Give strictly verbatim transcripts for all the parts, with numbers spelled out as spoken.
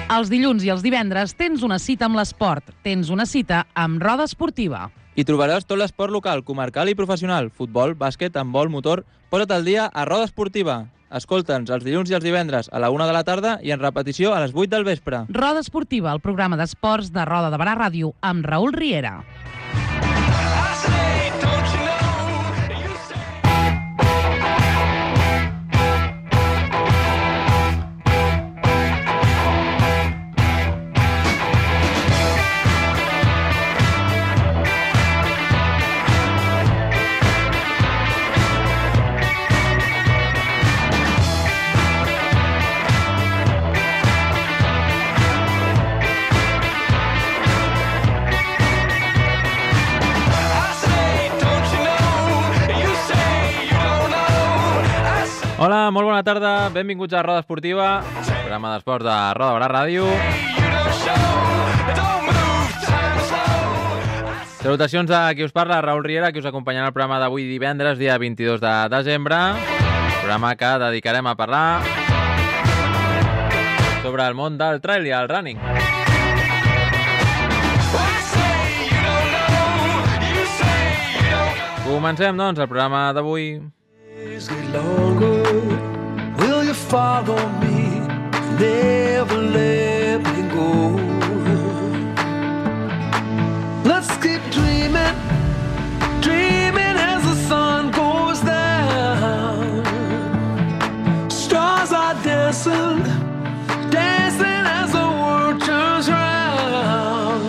Els dilluns i els divendres tens una cita amb l'esport. Tens una cita amb Roda Esportiva. Hi trobaràs tot l'esport local, comarcal i professional. Futbol, bàsquet, handbol, motor... Posa't al dia a Roda Esportiva. Escolta'ns els dilluns i els divendres a la una de la tarda i en repetició a les vuit del vespre. Roda Esportiva, el programa d'esports de Roda de Barà Ràdio, amb Raül Riera. Hola, molt bona tarda, benvinguts a Roda Esportiva, programa d'esports de Roda Barà Ràdio. Salutacions a qui us parla, Raül Riera, qui us acompanyarà al programa d'avui divendres, dia vint-i-dos de desembre. Programa que dedicarem a parlar sobre el món del trail i el running. Comencem, doncs, el programa d'avui. Get longer. Will you follow me? Never let me go. Let's keep dreaming, dreaming as the sun goes down. Stars are dancing, dancing as the world turns round.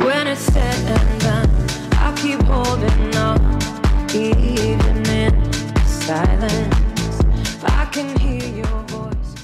When it's said and done, I'll keep holding on. Even in silence, I can hear your voice.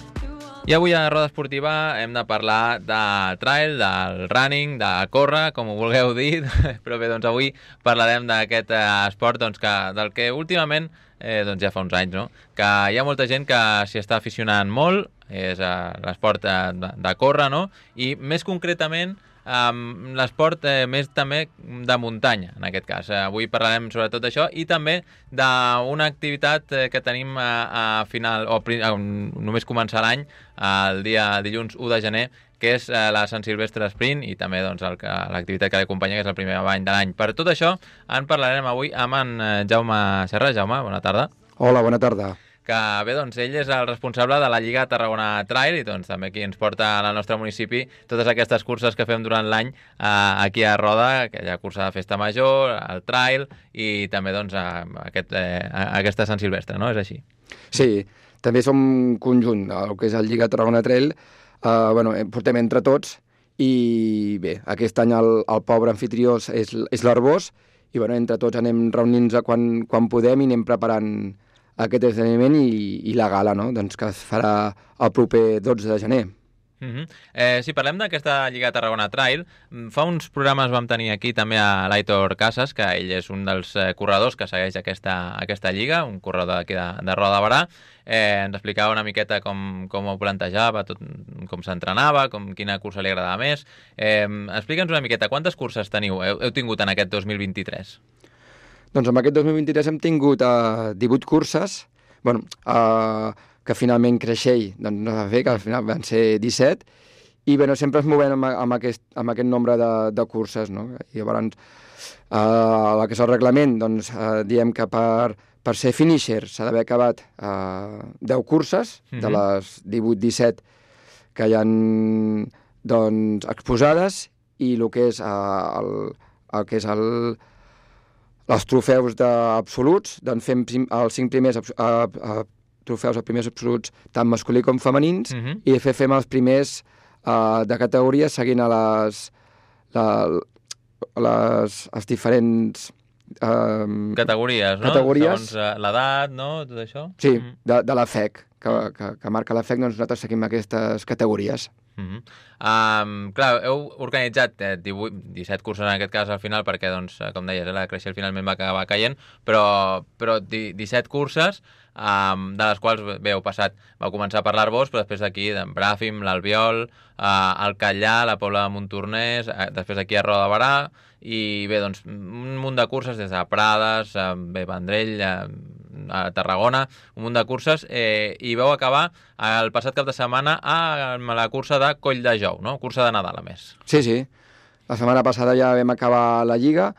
I avui a Roda Esportiva hem de parlar de trail, del running, de córrer, com ho vulgueu dir, però bé, doncs avui parlarem d'aquest esport doncs, que, del que últimament, eh, doncs ja fa uns anys, no? Que hi ha molta gent que s'hi està aficionant molt, és eh, l'esport de, de córrer, no? I més concretament Um, l'esport eh, més també de muntanya, en aquest cas. Eh, avui parlarem sobretot d'això i també d'una activitat eh, que tenim a, a final, o a, només començar l'any, el dia dilluns u de gener, que és eh, la Sant Silvestre Sprint i també doncs, l'activitat que l'acompanya, que és el primer bany de l'any. Per tot això en parlarem avui amb en Jaume Serra. Jaume, bona tarda. Hola, bona tarda. Que bé, doncs ell és el responsable de la Lliga Tarragona Trail i doncs també aquí ens porta al nostre municipi totes aquestes curses que fem durant l'any eh, aquí a Roda, que hi ha cursa de festa major, el trail i també doncs a, aquest, eh, a aquesta Sant Silvestre, no? És així? Sí, també som un conjunt, el que és el Lliga Tarragona Trail, eh, bueno, portem entre tots i bé, aquest any el, el pobre anfitrió és, és l'Arbós i bueno, entre tots anem reunint-nos quan, quan podem i anem preparant aquest esdeveniment i, i la gala, no? Doncs que es farà el proper dotze de gener. Uh-huh. eh, si parlem d'aquesta Lliga Tarragona Trail, fa uns programes vam tenir aquí també a l'Aitor Casas, que ell és un dels eh, corredors que segueix aquesta, aquesta lliga, un corredor d'aquí de, de Roda de Barà. Eh, ens explicava una miqueta com, com ho plantejava, tot, com s'entrenava, com, quina cursa li agradava més. Eh, Explica'ns una miqueta, quantes curses teniu, heu, heu tingut en aquest dos mil vint-i-tres? Doncs en aquest dos mil vint-i-tres hem tingut uh, divuit curses, bueno, uh, que finalment Creixell doncs, no va fer, que al final van ser disset, i bueno, sempre es movem amb, amb, aquest, amb aquest nombre de, de curses, no? I llavors, uh, el que és el reglament, doncs, uh, diem que per, per ser finisher s'ha d'haver acabat uh, deu curses, mm-hmm. de les divuit disset que hi ha doncs, exposades, i el que és, uh, el, el que és el... els trofeus absoluts, doncs fem els cinc primers uh, uh, trofeus, els primers absoluts, tant masculí com femenins, uh-huh. i de fet fem els primers uh, de categoria seguint a les, la, les, les diferents... Uh, categories, no? Categories. Segons l'edat, no? Tot això? Sí, uh-huh. de, de la F E C, que, que, que marca la F E C, doncs nosaltres seguim aquestes categories. Uh-huh. Um, clar, heu organitzat eh, divuit, disset curses en aquest cas al final perquè, doncs, com deies, eh, la Creixell finalment va acabar caient, però, però disset curses, um, de les quals bé, heu passat, vau començar per l'Arbós, però després d'aquí, d'en Bràfim, l'Albiol, uh, el Catllà, la Pobla de Montornès, uh, després aquí a Roda de Barà, i bé, doncs, un munt de curses des de Prades, uh, bé, Vendrell, uh, a Tarragona, un munt de curses, eh, i vau acabar el passat cap de setmana amb la cursa de Coll de Jou, no? Cursa de Nadal, a més. Sí, sí. La setmana passada ja vam acabar la Lliga,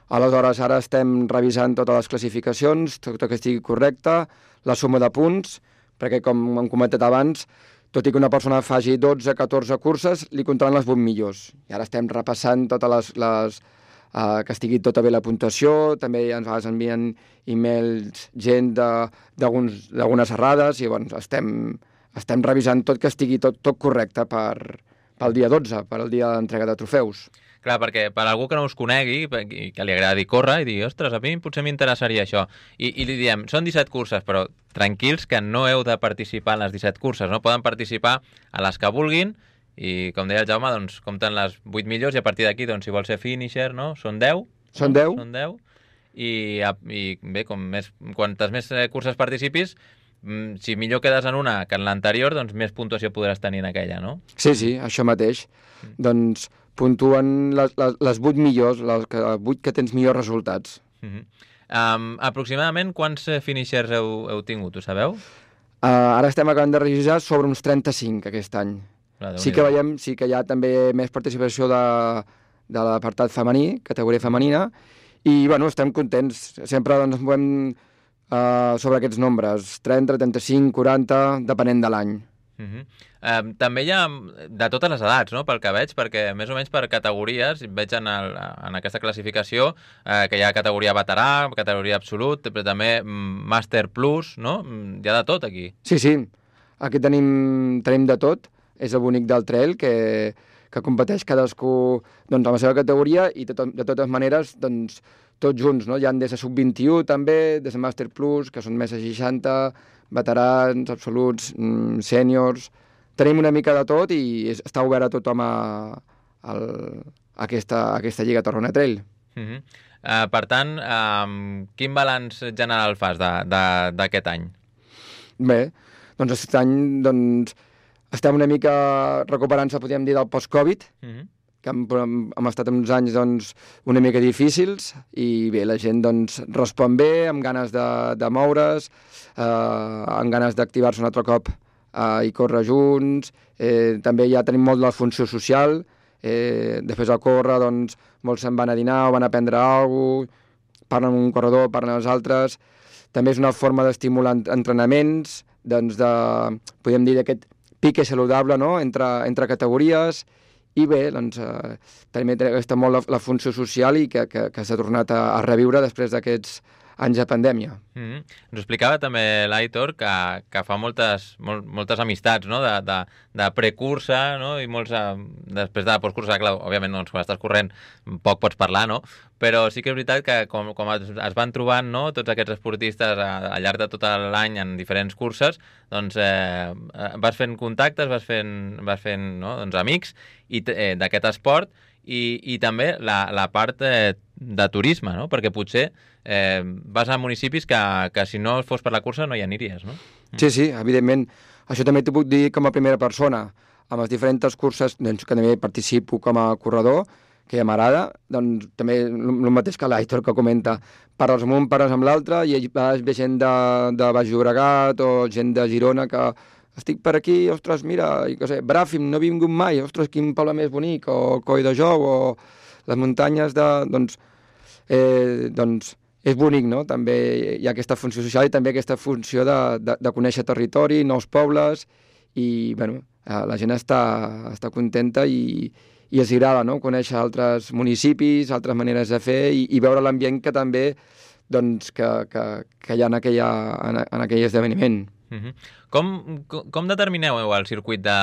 aleshores ara estem revisant totes les classificacions, tot que estigui correcte, la suma de punts, perquè com hem comentat abans, tot i que una persona faci dotze o catorze curses, li comptaran les vuit millors. I ara estem repassant totes les... les uh, que estigui tota bé la puntuació, també ens envien e-mails gent d'algunes errades i bueno, estem, estem revisant tot que estigui tot, tot correcte per, pel dia dotze, per al dia d'entrega de trofeus. Clar, perquè per algú que no us conegui i que li agradi córrer i digui, ostres, a mi potser m'interessaria això. I, I li diem, són disset curses, però tranquils que no heu de participar en les disset curses, no? Poden participar a les que vulguin i, com deia el Jaume, doncs, compten les vuit millors i a partir d'aquí, doncs, si vol ser finisher, no? Són deu. Són no? deu. Són deu. I, i bé, com més, quantes més curses participis, si millor quedes en una que en l'anterior, doncs més puntuació podràs tenir en aquella, no? Sí, sí, això mateix. Mm. Doncs puntuen les, les, les vuit millors, les que, vuit que tens millors resultats. Uh -huh. um, aproximadament quants finishers heu, heu tingut, ho sabeu? Uh, ara estem acabant de revisar sobre uns trenta-cinc aquest any. Clar, sí que veiem, sí que hi ha també més participació de, de l'apartat femení, categoria femenina, i bueno, estem contents. Sempre doncs, ens movem uh, sobre aquests nombres, trenta, trenta-cinc, quaranta, depenent de l'any. Uh -huh. um, també hi ha de totes les edats, no?, pel que veig, perquè més o menys per categories veig en, el, en aquesta classificació eh, que hi ha categoria veterà, categoria absolut, però també Master Plus, no? Hi ha de tot aquí. Sí, sí, aquí tenim, tenim de tot, és el bonic del trail que, que competeix cadascú doncs, a la seva categoria i de, to de totes maneres doncs, tots junts, no? Hi ha des de sub vint-i-u també, des de Master Plus, que són més de seixanta, veterans, absoluts, mm, sèniors... Tenim una mica de tot i és, està obert a tothom a, a, a, aquesta, a aquesta Lliga Tarragona Trail. Uh -huh. uh, per tant, um, quin balanç general fas d'aquest any? Bé, doncs aquest any doncs, estem una mica recuperant-se, podríem dir, del post-Covid, uh -huh. que hem, hem, hem estat uns anys doncs, una mica difícils i bé, la gent doncs, respon bé, amb ganes de, de moure's, eh, amb ganes d'activar-se un altre cop Uh, i córrer junts, eh, també ja tenim molt de la funció social, eh, després de córrer, doncs, molts se'n van a dinar o van a prendre alguna cosa, parlen amb un corredor, parlen amb els altres, també és una forma d'estimular entrenaments, doncs de, podríem dir, d'aquest pique saludable, no?, entre, entre categories, i bé, doncs, eh, també està molt la, la funció social i que, que, que s'ha tornat a, a reviure després d'aquests anys de pandèmia. Mm-hmm. Ens explicava també l'Aitor que, que fa moltes, mol, moltes amistats, no?, de, de, de precursa, no?, i molts uh, després de la postcursa, clar, òbviament, doncs, quan estàs corrent poc pots parlar, no?, però sí que és veritat que com, com es, es van trobant, no?, tots aquests esportistes a, al llarg de tot l'any en diferents curses, doncs eh, vas fent contactes, vas fent, vas fent no?, doncs, amics i eh, d'aquest esport i, i també la, la part eh, de turisme, no?, perquè potser eh, vas a municipis que, que si no fos per la cursa no hi aniries, no? Sí, sí, evidentment. Això també t'ho puc dir com a primera persona. Amb les diferents curses doncs, que també participo com a corredor, que ja m'agrada, doncs també el mateix que l'Aitor que comenta. Parles amb un, parles amb l'altre, i vas ve gent de, de Baix Llobregat o gent de Girona que estic per aquí, ostres, mira, i, que sé, Bràfim, no he vingut mai, ostres, quin poble més bonic, o Coll de Jou, o les muntanyes de... Doncs, eh, doncs és bonic, no? També hi ha aquesta funció social i també aquesta funció de, de, de conèixer territori, nous pobles, i, bueno, la gent està, està contenta i, i els agrada, no?, conèixer altres municipis, altres maneres de fer i, i veure l'ambient que també doncs, que, que, que hi ha en, aquella, en, en aquell esdeveniment. Uh-huh. com, com, com determineu el circuit de...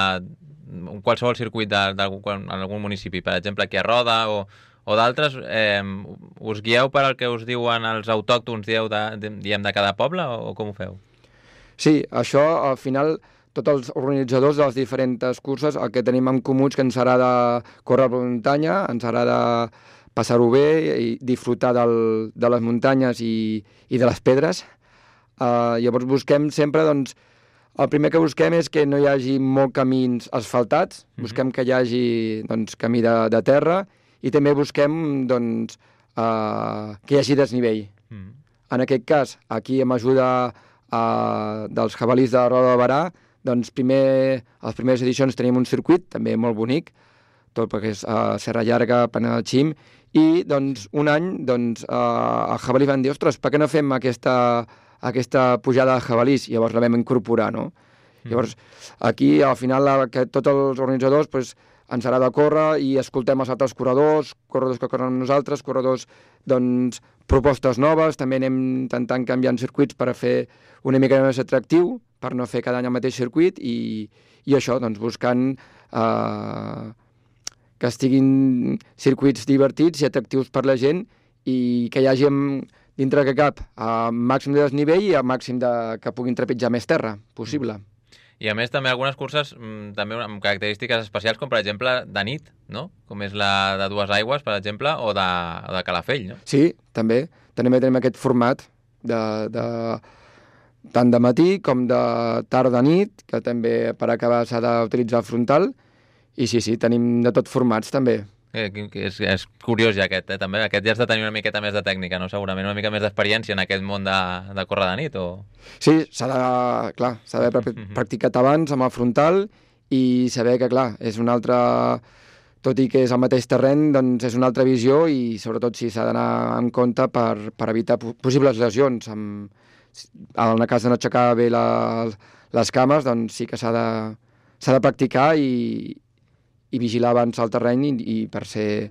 qualsevol circuit d'algun municipi, per exemple aquí a Roda o, o d'altres, eh, us guieu per al que us diuen els autòctons, dieu de, de, diem, de cada poble o, o com ho feu? Sí, això al final tots els organitzadors de les diferents curses el que tenim en comú és que ens agrada córrer per muntanya, ens agrada passar-ho bé i disfrutar del, de les muntanyes i, i de les pedres. Uh, llavors busquem sempre, doncs, el primer que busquem és que no hi hagi molt camins asfaltats, mm-hmm. busquem que hi hagi doncs, camí de, de terra i també busquem doncs, uh, que hi hagi desnivell. Mm-hmm. En aquest cas, aquí amb ajuda uh, dels jabalís de Roda de Barà, doncs primer, a les primeres edicions tenim un circuit, també molt bonic, tot perquè és uh, Serra Llarga, Pana del Xim, i doncs un any doncs, uh, el jabalí van dir, ostres, per què no fem aquesta, aquesta pujada de jabalís? Llavors la vam incorporar, no? Mm. Llavors, aquí, al final, la, que tots els organitzadors pues, ens agrada córrer i escoltem els altres corredors, corredors que corren amb nosaltres, corredors, doncs, propostes noves, també anem intentant canviar circuits per a fer una mica més atractiu, per no fer cada any el mateix circuit, i, i això, doncs, buscant eh, que estiguin circuits divertits i atractius per la gent i que hi hagi, dintre que cap, a màxim de desnivell i a màxim de, que puguin trepitjar més terra possible. I a més també algunes curses mmm, també amb característiques especials, com per exemple de nit, no? Com és la de Dues Aigües, per exemple, o de, o de Calafell, no? Sí, també. També tenim aquest format de, de, tant de matí com de tarda-nit, que també per acabar s'ha d'utilitzar el frontal. I sí, sí, tenim de tot formats també. Eh, és, és curiós ja aquest, eh, també. Aquest ja has de tenir una miqueta més de tècnica, no? Segurament una mica més d'experiència en aquest món de, de córrer de nit, o...? Sí, s'ha de, clar, s'ha d'haver practicat abans amb el frontal i saber que, clar, és una altra... Tot i que és el mateix terreny, doncs és una altra visió i sobretot sí, s'ha d'anar en compte per, per evitar possibles lesions. Amb, en el cas de no aixecar bé la, les cames, doncs sí que s'ha de, s'ha de practicar i, i vigilar abans el terreny i, i per ser,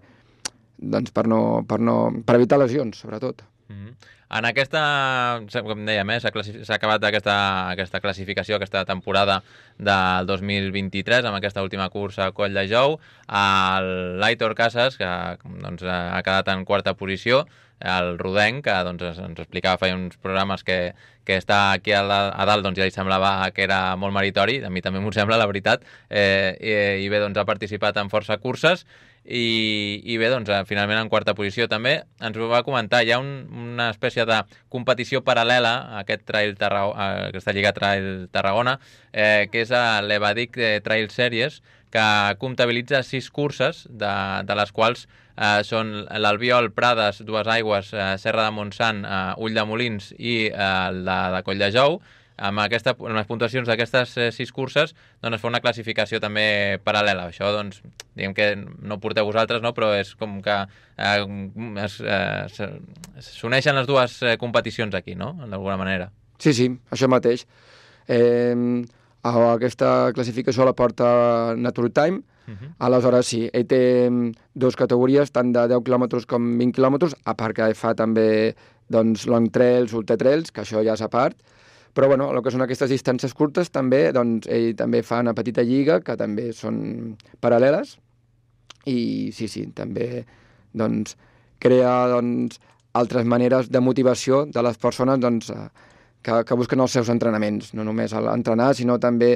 doncs per no, per no, per evitar lesions, sobretot. Mm-hmm. En aquesta, com dèiem, eh, s'ha acabat aquesta, aquesta classificació, aquesta temporada del dos mil vint-i-tres, amb aquesta última cursa a Coll de Jou, l'Aitor Casas, que doncs, ha quedat en quarta posició, el rodenc, que doncs, ens explicava fa uns programes que, que està aquí a, la, a dalt, doncs ja li semblava que era molt meritori, a mi també m'ho sembla, la veritat, eh, i, i bé, doncs ha participat en força curses, i, i bé, doncs finalment en quarta posició també. Ens ho va comentar, hi ha un, una espècie de competició paral·lela a aquest trail Tarragona, a aquesta Lliga Trail Tarragona, eh, que és l'Evadic Trail Series, que comptabilitza sis curses, de, de les quals eh, són l'Albiol, Prades, Dues Aigües, eh, Serra de Montsant, eh, Ull de Molins i eh, la de Coll de Jou. Amb, aquesta, amb les puntuacions d'aquestes eh, sis curses doncs es fa una classificació també paral·lela. Això, doncs, diguem que no ho porteu vosaltres, no? Però és com que eh, s'uneixen les dues eh, competicions aquí, no? D'alguna manera. Sí, sí, això mateix. Eh, aquesta classificació la porta Nature Time. Uh-huh. Aleshores, sí, ell té dues categories, tant de deu quilòmetres com vint quilòmetres, a part que fa també doncs, long trails, ultra trails, que això ja és a part. Però, bueno, el que són aquestes distàncies curtes, també, doncs, ell també fa una petita lliga, que també són paral·leles, i sí, sí, també, doncs, crea, doncs, altres maneres de motivació de les persones, doncs, que, que busquen els seus entrenaments, no només entrenar, sinó també,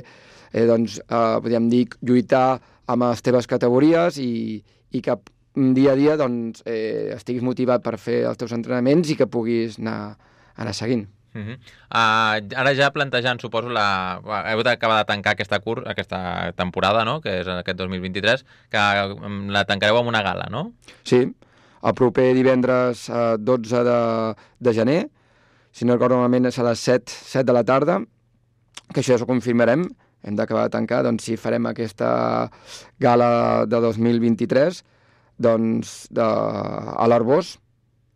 eh, doncs, eh, podríem dir, lluitar amb les teves categories i, i que dia a dia, doncs, eh, estiguis motivat per fer els teus entrenaments i que puguis anar, anar seguint. Uh-huh. uh, ara ja plantejant, suposo, la... heu d'acabar de tancar aquesta, cur... aquesta temporada, no?, que és aquest dos mil vint-i-tres, que la tancareu amb una gala, no? Sí, el proper divendres eh, dotze de, de gener, si no recordo malament és a les set, set de la tarda, que això ja ho confirmarem, hem d'acabar de tancar, doncs sí, farem aquesta gala de dos mil vint-i-tres, doncs, de, a l'Arbós,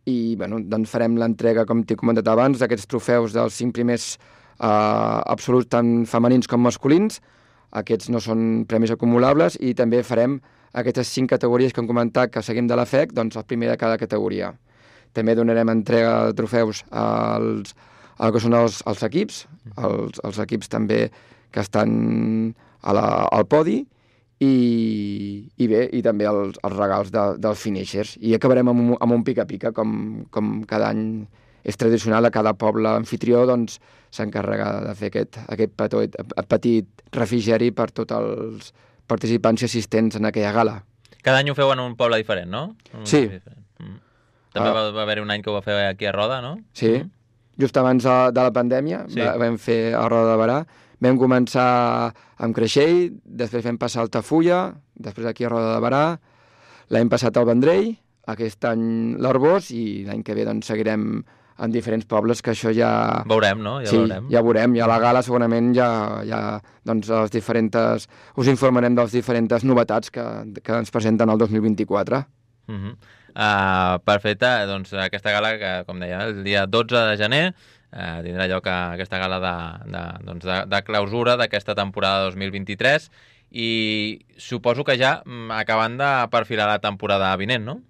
i bueno, doncs farem l'entrega, com t'he comentat abans, d'aquests trofeus dels cinc primers eh, absoluts, tant femenins com masculins. Aquests no són premis acumulables, i també farem aquestes cinc categories que hem comentat que seguim de la F E C, doncs el primer de cada categoria. També donarem entrega de trofeus als, al que són els, els equips, els, els equips també que estan a la, al podi, I, i bé, i també els, els regals de, dels finishers. I acabarem amb un, amb un pica-pica, com, com cada any és tradicional, a cada poble anfitrió doncs, s'encarrega de fer aquest, aquest petit, petit refrigeri per tots els participants i assistents en aquella gala. Cada any ho feu en un poble diferent, no? Un sí. Diferent. Mm. També uh, va, va haver un any que ho va fer aquí a Roda, no? Sí, mm. just abans de, de la pandèmia, sí. va, vam fer a Roda de Barà. Vam començar amb Creixell, després vam passar a Altafulla, després aquí a Roda de Barà, l'any passat al Vendrell, aquest any l'Arbós, i l'any que ve doncs, seguirem en diferents pobles, que això ja... Veurem, no? Ja sí, veurem. ja veurem. Ja a la gala segurament ja, ja doncs, les diferents... us informarem de les diferents novetats que, que ens presenten el dos mil vint-i-quatre. Uh -huh. uh, perfecte, doncs aquesta gala, que com deia, el dia dotze de gener, uh, tindrà lloc a aquesta gala de, de, doncs de, de clausura d'aquesta temporada dos mil vint-i-tres, i suposo que ja acabant de perfilar la temporada vinent, no?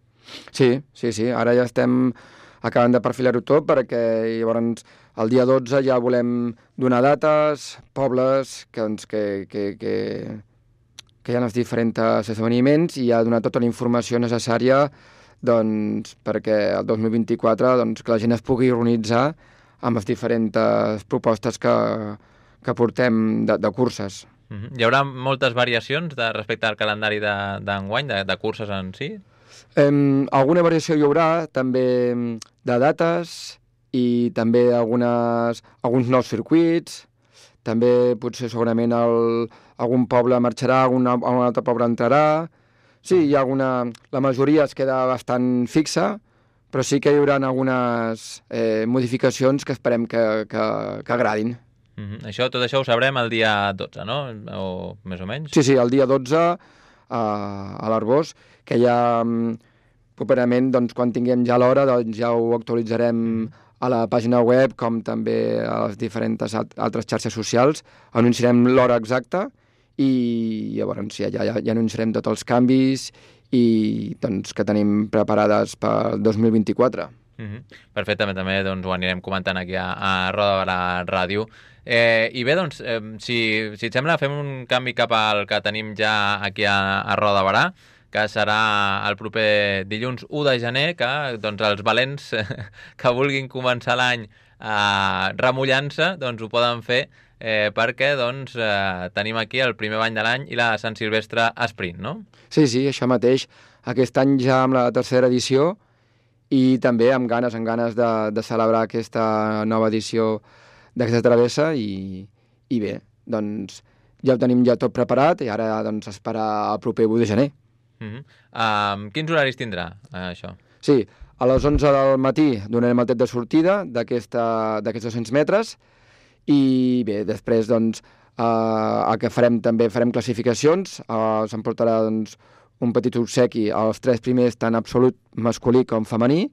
Sí, sí, sí. Ara ja estem acabant de perfilar-ho tot, perquè llavors el dia dotze ja volem donar dates, pobles, que, doncs, que, que, que, que hi ha els diferents esdeveniments, i ja donar tota la informació necessària doncs, perquè el dos mil vint-i-quatre doncs, que la gent es pugui organitzar amb les diferents propostes que, que portem de, de curses. Uh-huh. Hi haurà moltes variacions de, respecte al calendari d'enguany, de, de, de curses en si? Um, alguna variació hi haurà, també de dates, i també algunes, alguns nous circuits, també potser segurament el, algun poble marxarà, algun, algun altre poble entrarà. Sí, hi ha alguna... La majoria es queda bastant fixa, però sí que hi haurà algunes eh, modificacions que esperem que, que, que agradin. Uh-huh. Això, tot això ho sabrem el dia dotze, no? O més o menys? Sí, sí, el dia dotze a, a l'Arbós, que ja properament, doncs, quan tinguem ja l'hora, doncs ja ho actualitzarem a la pàgina web, com també a les diferents altres xarxes socials. Anunciarem l'hora exacta i llavors ja, ja, ja anunciarem tots els canvis i doncs, que tenim preparades pel dos mil vint-i-quatre. Uh-huh. Perfectament, també doncs, ho anirem comentant aquí a, a Roda de Barà Ràdio. Eh, I bé, doncs, eh, si, si et sembla, fem un canvi cap al que tenim ja aquí a, a Roda de Barà, que serà el proper dilluns u de gener, que doncs, els valents que vulguin començar l'any eh, remullant-se doncs, ho poden fer, eh, perquè doncs, eh, tenim aquí el primer bany de l'any i la Sant Silvestre Sprint, no? Sí, sí, això mateix. Aquest any ja amb la tercera edició, i també amb ganes, amb ganes de, de celebrar aquesta nova edició d'aquesta travessa, i, i bé, doncs ja ho tenim ja tot preparat, i ara doncs esperar el proper u de gener. Uh-huh. um, quins horaris tindrà, uh, això? Sí, a les onze del matí donarem el tret de sortida d'aquests dos-cents metres, i bé, després doncs uh, el que farem també farem classificacions, uh, s'emportarà doncs un petit obsequi als tres primers, tant absolut masculí com femení,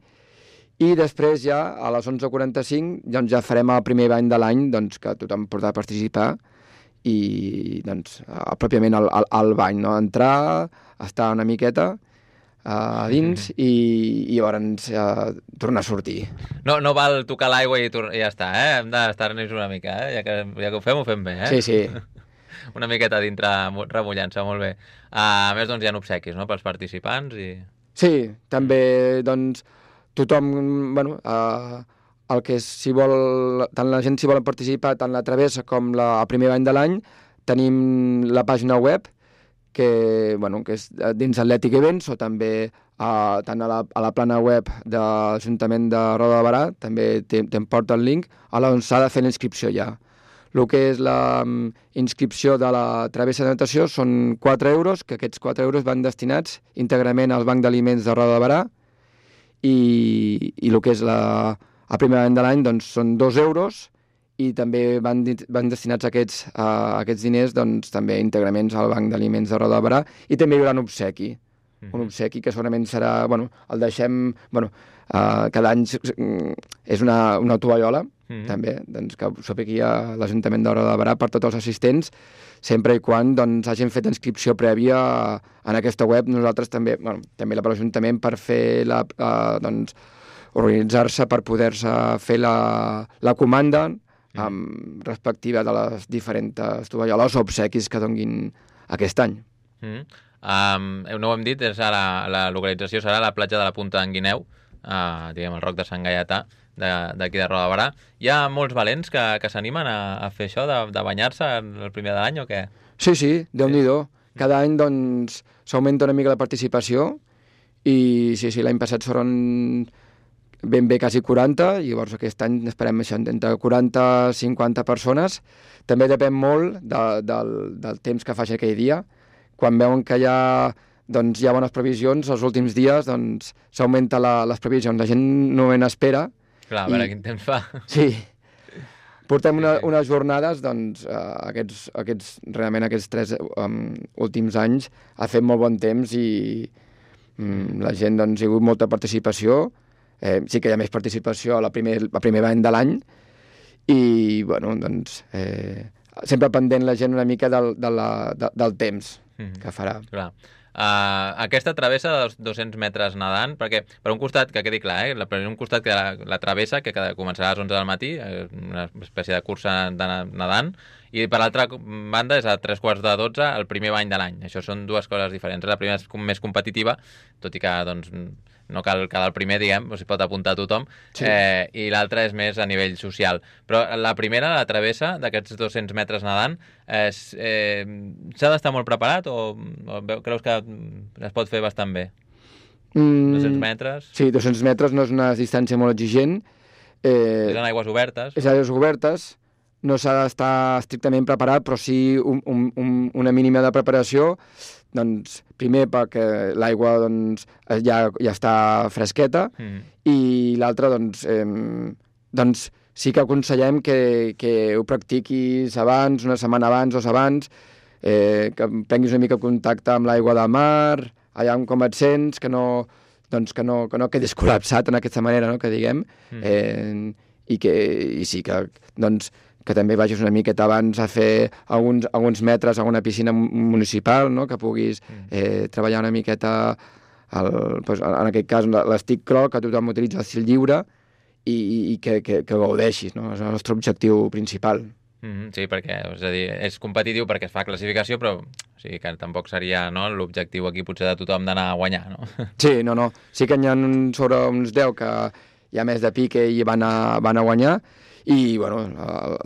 i després ja a les onze quaranta-cinc doncs, ja farem el primer bany de l'any, doncs, que tothom podrà participar, i doncs, pròpiament al, al, al bany, no? Entrar, estar una miqueta a uh, dins, i, i llavors uh, tornar a sortir. No, no val tocar l'aigua i, i ja està, eh? Hem d'estar-nos una mica, eh? Ja que, ja que ho fem, ho fem bé, eh? Sí, sí. Una miqueta dintre remullant-se, molt bé. Uh, a més, doncs, hi ha obsequis, no?, pels participants i... Sí, també, doncs, tothom, bueno, uh, el que si vol, tant la gent si vol participar, tant la travessa com la, el primer bany de l'any, tenim la pàgina web, que, bueno, que és dins Atlètic Events, o també uh, tant a la, a la plana web de l'Ajuntament de Roda de Barà, també te'n porta el link, a on s'ha de fer la inscripció ja. El que és la um, inscripció de la travessa de natació són quatre euros, que aquests quatre euros van destinats íntegrament al Banc d'Aliments de Roda de Barà, i, i el que és la, el primer any de l'any doncs, són dos euros, i també van, van destinats aquests, a aquests diners doncs, també íntegrament al Banc d'Aliments de Roda de Barà, i també hi haurà un obsequi. Mm-hmm. Un obsequi que segurament serà, bueno, el deixem, bueno, uh, cada any és una, una tovallola, mm-hmm. també, doncs, que s'ho aquí a l'Ajuntament de Roda de Barà per tots els assistents, sempre i quan doncs, hagin fet inscripció prèvia en aquesta web. Nosaltres també, bueno, també la per l'Ajuntament per fer la, uh, doncs, organitzar-se per poder-se fer la, la comanda amb respectiva de les diferents tovalloles o obsequis que donguin aquest any. Mm. Um, no ho hem dit, és a la, la localització serà a la platja de la Punta d'en Guineu, uh, diguem, el Roc de Sant Gaietà, d'aquí de, de Roda de Barà. Hi ha molts valents que, que s'animen a, a fer això, de, de banyar-se el primer de l'any o què? Sí, sí, Déu-n'hi-do. Cada any doncs s'augmenta una mica la participació, i sí, sí, l'any passat foren ben bé quasi quaranta, i llavors aquest any esperem això, entre quaranta i cinquanta persones. També depèn molt de, del, del temps que faci aquell dia. Quan veuen que hi ha, doncs, hi ha bones previsions, els últims dies doncs, s'augmenta la, les previsions. La gent no en espera, Clar, a veure quin temps fa. Sí. Portem una, Sí, sí. unes jornades, doncs, eh, aquests, aquests, realment aquests tres um, últims anys ha fet molt bon temps i mm, la gent, doncs, hi ha hagut molta participació. Eh, sí que hi ha més participació a la primer, a primer any de l'any i, bueno, doncs, eh, sempre pendent la gent una mica del, de la, de, del temps Mhm. que farà. Clar. Uh, aquesta travessa dels dos-cents metres nedant, perquè per un costat, que quedi clar, eh, la- per un costat que la, la travessa, que cada, començarà a les onze del matí, eh, una espècie de cursa de na- nedant, i per l'altra banda és a tres quarts de dotze el primer bany de l'any. Això són dues coses diferents. La primera és com més competitiva, tot i que doncs, no cal quedar el primer, diguem, o s'hi pot apuntar tothom, Sí. eh, i l'altra és més a nivell social. Però la primera, la travessa d'aquests dos-cents metres nedant, és, eh, s'ha d'estar molt preparat o, o veu- creus que es pot fer bastant bé? Mm, dos-cents metres? Sí, dos-cents metres no és una distància molt exigent. Eh, És en aigües obertes? és a aigües obertes, no s'ha d'estar estrictament preparat, però sí un, un, un, una mínima de preparació. Doncs, primer perquè l'aigua doncs, ja, ja està fresqueta Mm. i l'altra doncs, eh, doncs sí que aconsellem que, que ho practiquis abans, una setmana abans, dos abans, eh, que prenguis una mica contacte amb l'aigua del mar, allà on com et sents, que no, doncs, que no, que no quedis col·lapsat en aquesta manera, no?, que diguem, Mm. eh, i, que, i sí que, doncs, que també vagis una miqueta abans a fer alguns, alguns metres a una piscina municipal, no?, que puguis eh, treballar una miqueta, el, doncs, en aquest cas, l'estic crawl, que tothom utilitza el fil lliure, i, i que, que, que gaudeixis, no? És el nostre objectiu principal. Mm, sí, perquè és, a dir, és competitiu perquè es fa classificació, però o sigui, que tampoc seria, no, l'objectiu aquí potser de tothom d'anar a guanyar, no? Sí, no, no. Sí que n'hi ha sobre uns deu que hi ha més de pique i van a, van a guanyar, i bueno,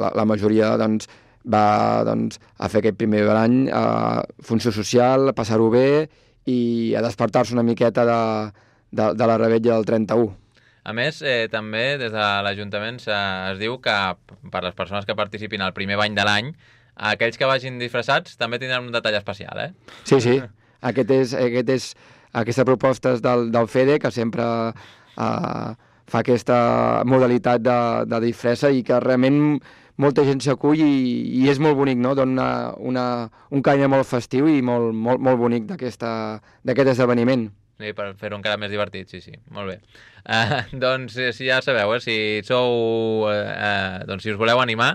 la, la majoria doncs, va doncs, a fer aquest primer de l'any a funció social, a passar-ho bé i a despertar-se una miqueta de, de, de la rebetlla del trenta-u. A més, eh, també des de l'Ajuntament es diu que per les persones que participin al primer bany de l'any, aquells que vagin disfressats també tindran un detall especial, eh? Sí, sí. Aquest és, aquest és, aquesta proposta és del, del FEDE, que sempre eh, fa aquesta modalitat de, de disfressa i que realment molta gent s'acull i, i és molt bonic, no? Dona una, un caire molt festiu i molt, molt, molt bonic d'aquest esdeveniment. Sí, per fer-ho encara més divertit, sí, sí, molt bé. Uh, doncs, eh, si ja sabeu, eh, si sou, eh, uh, doncs si us voleu animar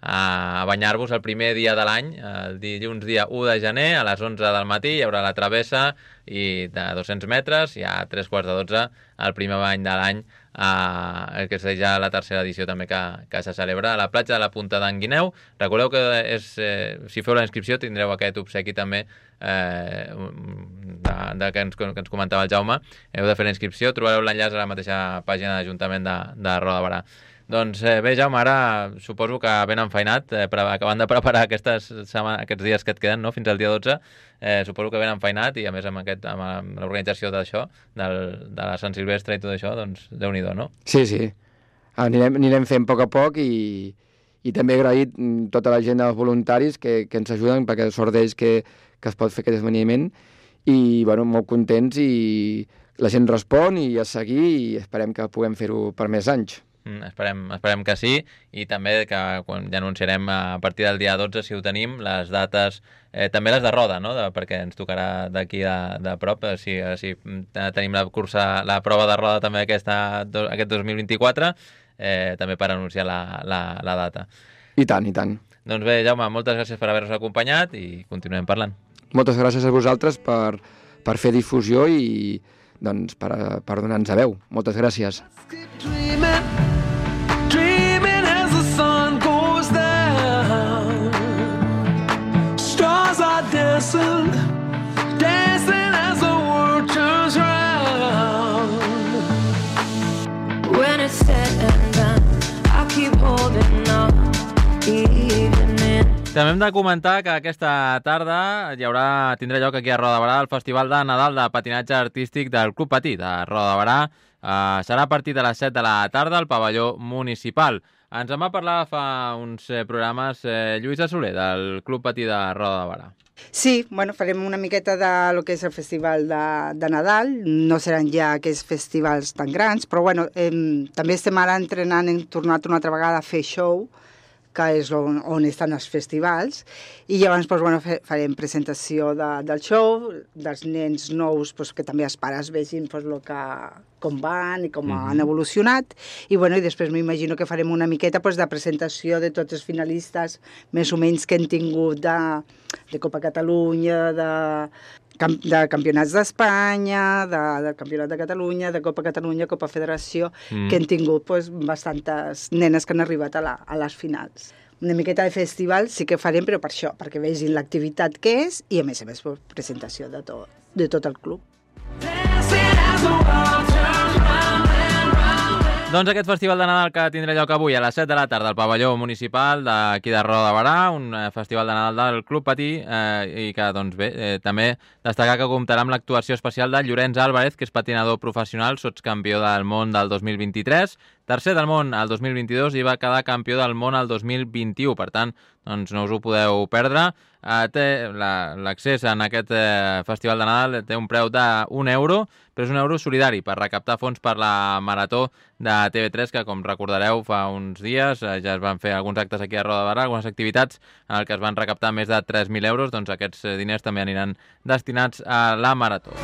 a banyar-vos el primer dia de l'any, el dilluns dia u de gener, a les onze del matí, hi haurà la travessa i de dos-cents metres, i a tres quarts de dotze el primer bany de l'any, eh, que és ja la tercera edició també que, que se celebra a la platja de la Punta d'en Guineu. Recordeu que és, eh, si feu la inscripció tindreu aquest obsequi també eh, de, de que, ens, que ens comentava el Jaume. Heu de fer la inscripció, trobareu l'enllaç a la mateixa pàgina d'Ajuntament de, de Roda de Berà. Doncs eh, bé, Jaume, ara suposo que ben enfeinat, eh, per, acabant de preparar aquestes setmanes, aquests dies que et queden, no?, fins al dia dotze, eh, suposo que ben enfeinat, i a més amb, aquest, amb l'organització d'això, del, de la Sant Silvestre i tot això, doncs Déu-n'hi-do, no? Sí, sí. Anirem, anirem fent a poc a poc i, i també agraït mm, tota la gent dels voluntaris que, que ens ajuden, perquè sort d'ells que, que es pot fer aquest esdeveniment, i bueno, molt contents, i la gent respon i a seguir, i esperem que puguem fer-ho per més anys. Mm, esperem, esperem que sí, i també que quan ja anunciarem a partir del dia dotze, si ho tenim, les dates, eh, també les de roda, no?, de, perquè ens tocarà d'aquí de, de prop, eh, si, si tenim la cursa, la prova de roda també aquesta, do, aquest dos mil vint-i-quatre, eh, també per anunciar la, la, la data. I tant, i tant. Doncs bé, Jaume, moltes gràcies per haver-nos acompanyat i continuem parlant. Moltes gràcies a vosaltres per, per fer difusió i doncs, per, per donar-nos a veu. Moltes gràcies. Keep dreaming, dreaming as the sun goes down. Stars are dancing, dancing as the world turns round. When it's said and done, I'll keep holding on, even in. També hem de comentar que aquesta tarda hi haurà, tindrà lloc aquí a Roda de Berà el Festival de Nadal de Patinatge Artístic del Club Patí de Roda de Berà. Uh, serà a partir de les set de la tarda al pavelló municipal. Ens en va parlar fa uns eh, programes eh, Lluïsa Soler del Club Patí de Roda de Berà. Sí, bueno, farem una miqueta de lo que és el festival de, de Nadal. No seran ja aquests festivals tan grans, però bueno, eh, també estem ara entrenant, hem tornat una altra vegada a fer show, que és on, on estan els festivals, i llavors doncs, bueno, farem presentació de, del show, dels nens nous, doncs, que també els pares vegin doncs, lo que, com van i com mm-hmm. han evolucionat, i, bueno, i després m'imagino que farem una miqueta doncs, de presentació de tots els finalistes més o menys que hem tingut de, de Copa Catalunya, de, de campionats d'Espanya, de, del Campionat de Catalunya, de Copa Catalunya, Copa Federació, mm. que han tingut doncs, bastantes nenes que han arribat a, la, a les finals. Una miqueta de festival sí que farem, però per això, perquè vegin l'activitat que és i, a més a més, presentació de tot, de tot el club. Doncs aquest festival de Nadal que tindrà lloc avui a les set de la tarda al pavelló municipal d'aquí de Roda de Barà, un festival de Nadal del Club Patí, eh, i que, doncs bé, eh, també destacar que comptarà amb l'actuació especial de Llorenç Álvarez, que és patinador professional, sotscampió del món del dos mil vint-i-tres, tercer del món al dos mil vint-i-dos i va quedar campió del món al dos mil vint-i-u. Per tant, doncs no us ho podeu perdre. Uh, té l'accés en aquest uh, festival de Nadal té un preu d'un euro, però és un euro solidari per recaptar fons per la Marató de T V tres, que, com recordareu, fa uns dies uh, ja es van fer alguns actes aquí a Roda de Barà, algunes activitats en el que es van recaptar més de tres mil euros. Doncs aquests diners també aniran destinats a la Marató.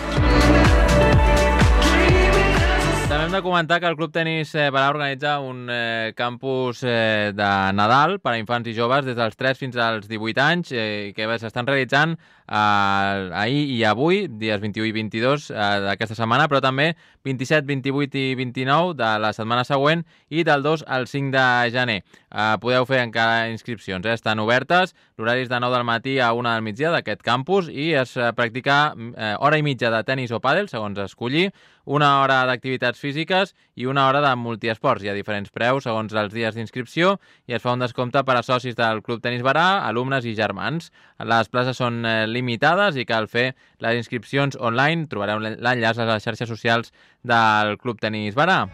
També hem de comentar que el Club Tenis Barà organitza un eh, campus eh, de Nadal per a infants i joves des dels tres fins als divuit anys, eh, que s'estan realitzant eh, ahir i avui, dies vint-i-u i vint-i-dos eh, d'aquesta setmana, però també vint-i-set, vint-i-vuit i vint-i-nou de la setmana següent i del dos al cinc de gener. Eh, podeu fer encara inscripcions, eh? Estan obertes, l'horari és de nou del matí a una del migdia d'aquest campus i es eh, practica eh, hora i mitja de tenis o pàdel, segons escollir, una hora d'activitats físiques i una hora de multiesports. Hi ha diferents preus segons els dies d'inscripció i es fa un descompte per a socis del Club Tenis Barà, alumnes i germans. Les places són eh, limitades i cal fer les inscripcions online. Trobareu l'enllaç a les xarxes socials del Club Tenis Barà.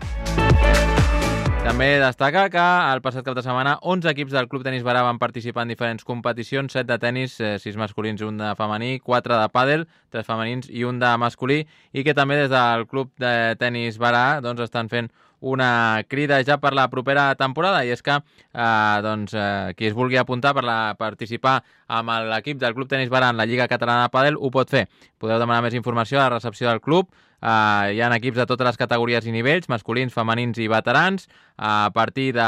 També destaca que el passat cap de setmana onze equips del Club Tenis Barà van participar en diferents competicions, set de tenis, sis masculins i un de femení, quatre de pàdel, tres femenins i un de masculí, i que també des del Club de Tenis Barà doncs, estan fent una crida ja per la propera temporada, i és que eh, doncs, eh, qui es vulgui apuntar per la, participar amb l'equip del Club Tenis Barà en la Lliga Catalana de Pàdel ho pot fer. Podeu demanar més informació a la recepció del club. Uh, hi ha equips de totes les categories i nivells, masculins, femenins i veterans. Uh, a partir de,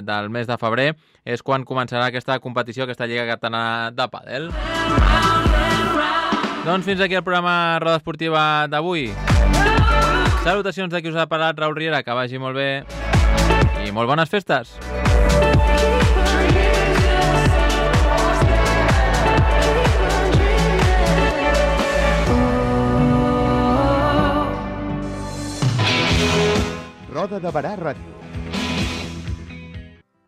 del mes de febrer és quan començarà aquesta competició, aquesta Lliga Catalana de Pàdel. Doncs fins aquí el programa Roda Esportiva d'avui. Salutacions de qui us ha parlat, Raül Riera, que vagi molt bé i molt bones festes. Roda de Barà Ràdio.